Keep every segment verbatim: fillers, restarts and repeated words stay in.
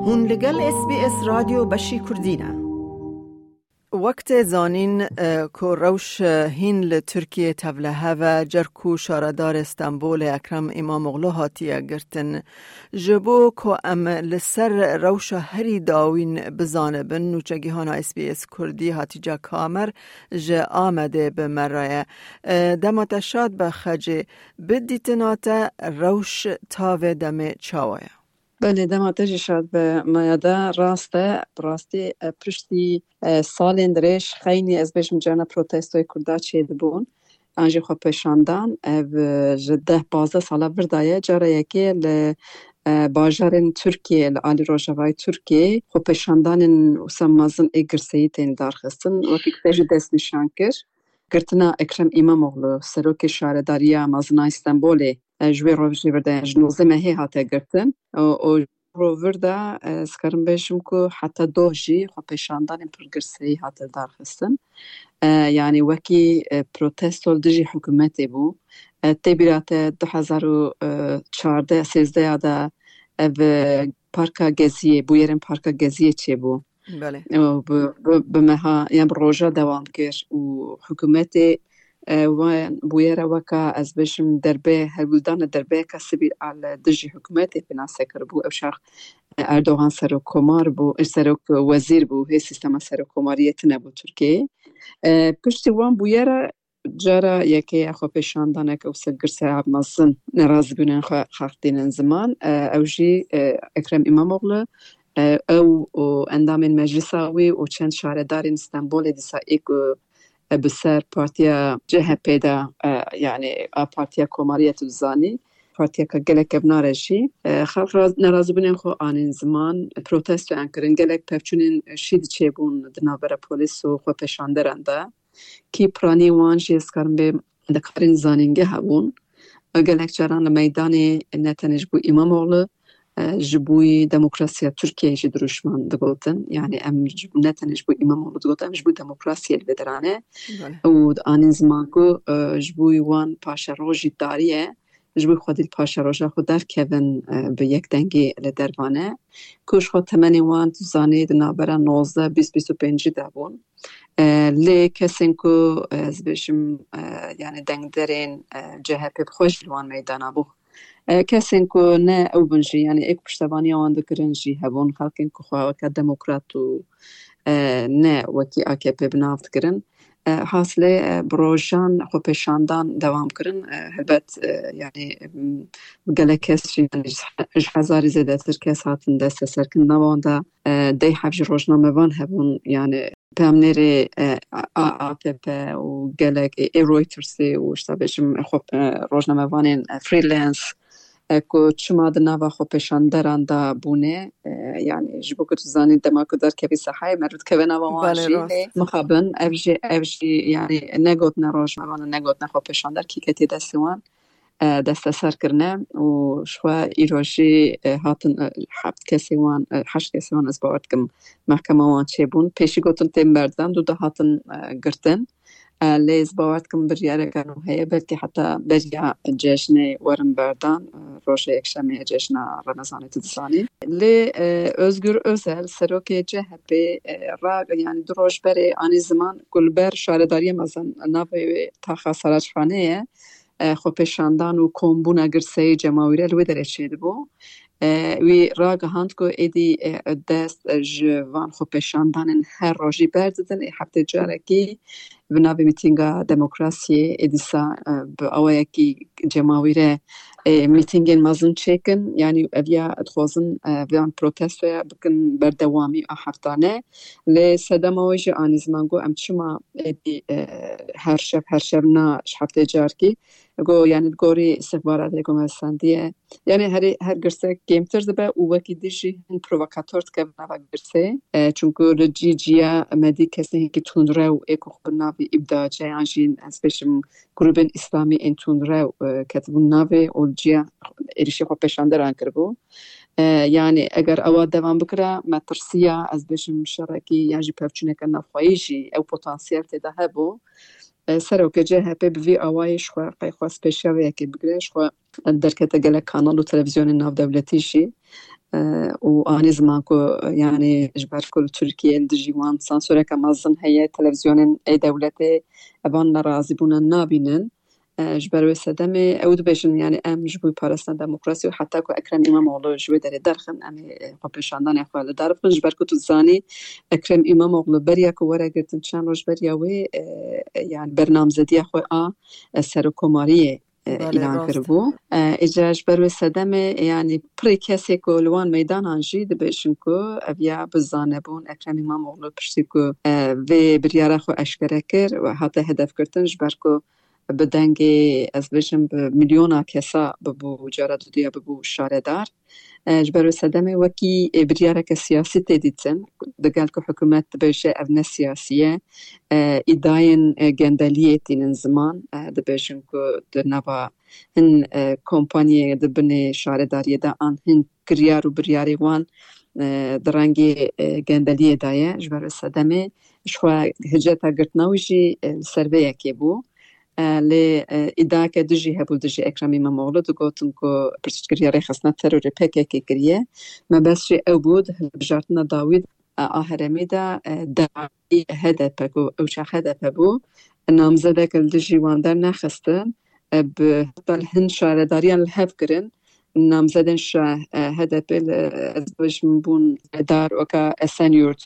Hûn li gel S B S Radyo beşî Kurdî ne. Wek tê zanîn, e, ku rewş, e, hîn li Tirkiyê tevlihev e, cer ku şaredarê Stenbolê Ekrem Îmamoğlu hatiye girtin. Ji bo ku em li ser rewşa herî dawîn bizanibin, nûçegihana S B S Kurdî Hatîce Kamer ji Amedê bi me re ye. E, dema te şad be Xecê, bi dîtina te rewş tavê demê çawa ye? Belê, dema te jî şad be Maya, de rast e, bi rastî, e, piştî, e, salên dirêj xeynî, ez bêjim, carna protestoyê Kurda çêdibûn, an jî xwepêşandan, ev, e, ji deh pazdeh sala vir de ye, cara yekê li, e, bajarên Tirkiyê, li alî rojavayê Tirkiyê, xwepêşandanên wisa mezin ê girseyî tên darxistin, wekî te jî destnîşan kir. Girtina Ekrem Îmamoğlu, serokê şaredariya mezin a Stenbolê, e, ji wê rojê vir de, ji nozdeh mehê hate girtin. Û, û ji ro vir de, e, ez karim bêjim ku heta doh jî xwepêşandanên pir girseyî hate darxistin. E, yanî wekî, e, protesto li dijî hikûmetê bû. E, tê bîra te du hezar û çardeh sêzdeh ya de ev, e, Parka Geziyê, bûyerên Parka Geziyê çêbû. Belê. Û bi, bi, bi meha, yan bi roja dewam kir û hikûmetê, e, wan bûyera weka, ez bêjim, derbe, hewldana derbeyeka sivîl a li dijî hikûmetê pênase kiribû. Ew çax, e, Erdogan serokkomar bû, e, serok wezîr bû, hê sîstema serokkomariyê tune bû Tirkiyeyê. E, piştî wan bûyera cara yekê ya xwepêşandanek û se girseyab mezin nerazîbûnên xwe xelq tînin ziman. E, ew jî, e, Ekrem Îmamoğlu, e, ew û endamên meclisa wî û çend şaredarên Stenbolê dîsa ê ku, e, bi ser partiya C H P de, e, yanî a partiya komariyê tu dizanî, partiyeka gelek kevnar e jî, e, xelq raz-, nerazîbûnên xwe anîn ziman, protestoyan kirin, gelek pevçûnên şîd çêbûn di navbera polîs û xwepêşanderan de. Kî piranî wan jî ez karim bê xwendekarên zanîngeha bûn. Gelek caran li meydanê ne tenê ji bo Îmamoğlu, e, ji bo demokrasiya Tirkiyeyê jî dirûşman digotin. Yanî em ji, ne tenê ji bo Îmamoğlu digotin, em ji bo demokrasiyê li vê derane. Belê. Û anîn ziman ku, e, ji bo wan paşeroja tarî ye, ji bo xwedî li paşeroja xwe derkevin, e, bi yekdengî li dervane. Ku ji xwe temenê wan tu zanî di navbera nozdeh, bîst, bîst û pêncî de bûn. E, lê kesên ku, e, ez bêjim, e, yanî dengderên, e, C H P bi xwe jî li wan meydana bû. E, kesên ku ne ew bin jî, yanî ê ku piştevaniya wan dikirin jî hebûn, xelkên ku xwe weke demokrat û, e, ne wekî A K P bi nav dikirin. E, hasilê, e, bi rojan xwepêşandan dewam kirin. E, helbet, e, yanî, em, gelek kes jî, yanî ji, ji hezarî zêdetir kes hatin desteserkirin. Nava wan de, e, deh heb jî rojnamevan hebûn, yanî peyamnêrê, e, A-, A P P û gelek, e, ê Reutersê û, işte, bêjim, e, xwe, e, rojnamevanên, e, freelance, e, ku çima di nava xwepêşanderan de bûne, e, yanî ji bo ku tu zanî dema ku derkevî sehayê meriv dikeve nava wan jî, lê mixabin ev jî, ev jî, yanî negotine rojnamevan û negotine xwepêşander, kî ketiye destê wan, e, desteser kirine û ji xwe îro jî, e, hatin, e, heft kesê wan, e, heşt kesê wan ez bawer dikim mehkema wan çêbûn. Pêşî gotin tên berdan, dû de hatin, e, girtin. E, lê ez bawer dikim biryareke nû heye, belkî heta beriya cejnê werin berdan, e, roja yekşemê ye cejna Remezanê, tu dizanî. Lê, e, Özgür Özel, serokê C H P, e, ra, yanî du roj berê anî ziman ku li ber şaredariya mezin navê wê taxa Saraçxanê ye, e, xwepêşandan û kombûna girseyê cemawîre li wê derê çêdibû. E, wî ragihand ku êdî, e, dest, e, ji van xwepêşandanên her rojî berdidin. Ê heftê carekî bi navê mîtînga demokrasiyê ê dîsa, e, bi awayekî cemawîre, e, mîtîngên mezin çêkin. Yanî ev ya dixwazin, e, van protestoya bikin berdewamî a heftane. Lê sedema wê jî anî ziman got, em çima êdî, e, her şev, her şev na ji heftê carekî. Got, yanî li gorî îstixbaratê ku me sendiye, yanî herî, her girsek kêmtir dibe û wekî dî jî hin provokator dikevin nava girsê. E, çunku li cî ciya me dî kesên hingî tundrew ê ku xwe bi navê îbdace yan jî ez bêjim grûbên îslamî ên tundrew, e, ketibûn navê û li ciya êrişê xwepêşanderan kiribû. E, yanî eger ewa devam bikira, metirsiya, ez bêjim, şerekî yan jî pevçûneke navxweyî jî ew potansiyel tê de hebû. E, serokê C H P bi vî awayî ji xwe qey xwest pêşiya vê yekê bigire, ji xwe derkete gelek kanal û televîzyonên navdewletî jî. e, û anî ziman ku, e, yanî ji ber ku li Tirkiyê li dijî wan sansoreke mezin heye, televîzyonên ê dewletê evan nerazîbûna nabînin. E, ji ber wê sedemê ew dibêjin, yanî em ji bo parastina demokrasî û heta ku Ekrem Îmamoğlu ji wê derê derxin, em ê, e, xwepêşandanê xwe li dar bixin. Ji ber ku tu dizanî Ekrem Îmamoğlu beriya ku were girtin çend roj beriya wê, e, e, yanî bernamzediya xwe a, e, serokkomariyê, e, Belê, îlan rast. kiribû. E, îca ji ber wê sedemê, yanî pirê kesê ku li wan meydanan jî dibêjin ku ev ya bi zanebûn Ekrem Îmamoğlu piştî ku, e, vê biryara xwe eşkere kir û hate hedefgirtin, ji ber ku bi dengê, ez bêjim, bi milyona kesa bibû, cara duduya bibû şaredar. E, ji ber wê sedemê wekî, e, biryareke siyasî tê dîtin, digel ku hikûmet dibêje ev ne siyasî ye, e, îdayên, e, gendeliyê tînin ziman, e, dibêjin ku di nava hin, e, kompanyê di binê şaredariyê de an hin kiryar û biryarê wan, e, di rengê, e, gendeliyê de ye. Ji ber wê sedemê ji xwe hiceta girtina wî jî, e, li ser vê yekê bû. E, lê, e, îdiayeke dijî hebû dijî Ekrem Îmamoğlu, digotin ku piştgiriya rêxistina terorê P K K kiriye. Mebest jî ew bû, di hilbijartina dawî de, e, a herêmî de, e, dawî H D P ku ew çax H D P bû, namzedek li dijî wan dernexistin, e, bi heta li hin şaredariyan li hev kirin. Namzedên şa-, e, H D P li, ez dibêjim, bûn dar weka Esenyurt,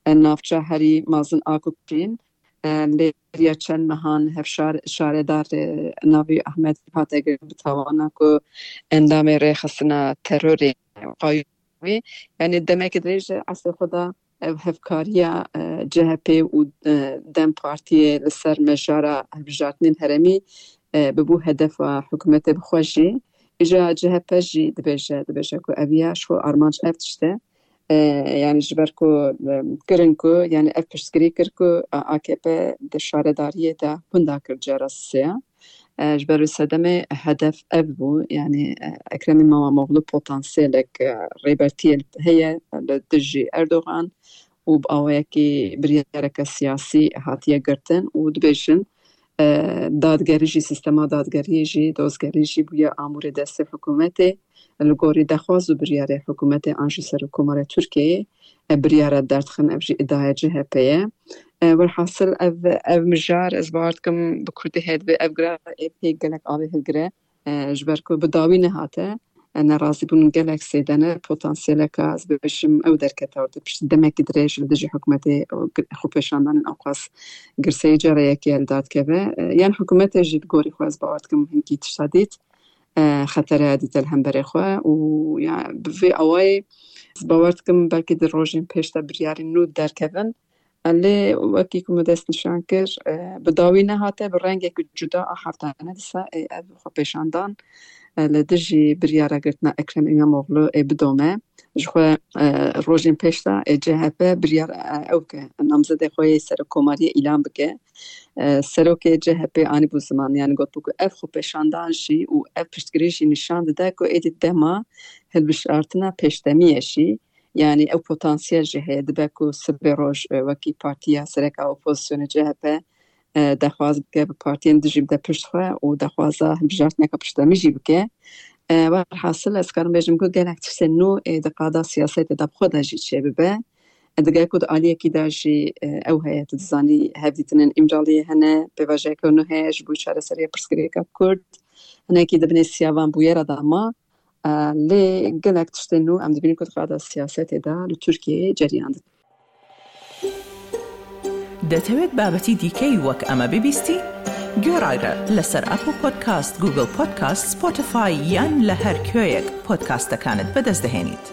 e, navça herî mezin a ku kirîn. E, lê beriya çend mehan hevşar-, şaredar, e, navî Ahmet hate girt bi tawana ku endamê rêxistina terorê qayûm wî. Yanî demekî dirêj e, eslê xwe de ev hevkariya, e, C H P û, e, DEM Partiyê li ser mejara hilbijartinên herêmî, e, bibû hedefa hikûmetê bi xwe jî. Îja C H P jî dibêje, dibêje ku ev ya ji xwe armanc ev tişt e. E, yanî ji ber ku, e, kirin ku, yanî ev piştgirî kir ku A K P di şaredariyê de hunda kir cara sêya. E, ji ber wê sedemê hedef ev bû, yanî, e, Ekrem Îmamoğlu potansiyelek, e, rêbertiyê heye li dijî Erdogan û bi awayekî biryareke siyasî hatiye girtin û dibêjin, e, dadgerî jî, sîstema dadgeriyê jî, dozgerî jî bûye amûrê destê hikûmetê. Li gorî dexwaz û biryarê hikûmetê an jî Serokkomara Tirkiyeyê, e, biryara derdixin, ev jî îdiaya C H P ye. E, welhasil ev, ev mijar, ez bawer dikim bi kurdî heye divê ev girava ê pê gelek avê hilgire. E, ji ber ku bi dawî nehate, e, nerazîbûn gelek zêde ne, potansiyeleka, ez bibêjim, ew derkete ortê piştî demekî dirêj li dijî hikûmetê û gi-, xwepêşandanên ewqas girseyî cara yekê li dar dikeve. E, yan hikûmetê jî li gorî xwe ez bawer dikim hinkî tişta dît, e, xetere dîte li hemberê xwe û ya bi vê awayê ez bawer dikim belkî di rojên pêş de biryarên nû derkevin. E, lê wekî ku me dest nîşan kir, e, bi dawî nehate, bi rengekî cuda a heftane dîsa ê ev xwepêşandan, e, li dijî biryara girtina Ekrem Îmamoğlu ê bidome. Ji xwe, e, rojên pêş de ê C H P biryar, e, ew ke namzedê xwe yê serokkomariyê îlan bike. E, serokê C H P anîbû ziman, yanî gotibû ku ev xwepêşandan jî û ev piştgirî jî nîşan dide ku êdî dema hilbijartina pêşdemî ye jî. Yanî ew potansiyel jî heye, dibe ku sibê roj, e, wekî partiya sereka opozisyonê C H P, e, dexwaz bike bi partiyên dijî bide pişt xwe û dexwaza hilbijartineke piştdemî jî bike. E, werhasil ez karim bêjim ku gelek tiştên nû, e, di qada siyasetê de bi xwe de jî çêbibe. E, digel ku di aliyekî de jî, e, ew heye, tu dizanî, hevdîtinên Îmraliyê hene, pêvajoyeke nû heye ji bo çareseriya pirsgirêka Kurd. Hinekî di binê siyavan bûyera de ma, e, lê gelek tiştên nû em dibînin ku di qada siyasetê de li Tirkiyeyê ceriyan dikin. دەتەوێت بابەتی دیکەی وەک ئەمە ببیستی؟ گوێڕایرە لەسەر ئەپڵ پۆدکاست، گوگڵ پۆدکاست، سپۆتیفای یان لە هەر کوێیەک پۆدکاستەکانت بەدەست دەهێنیت.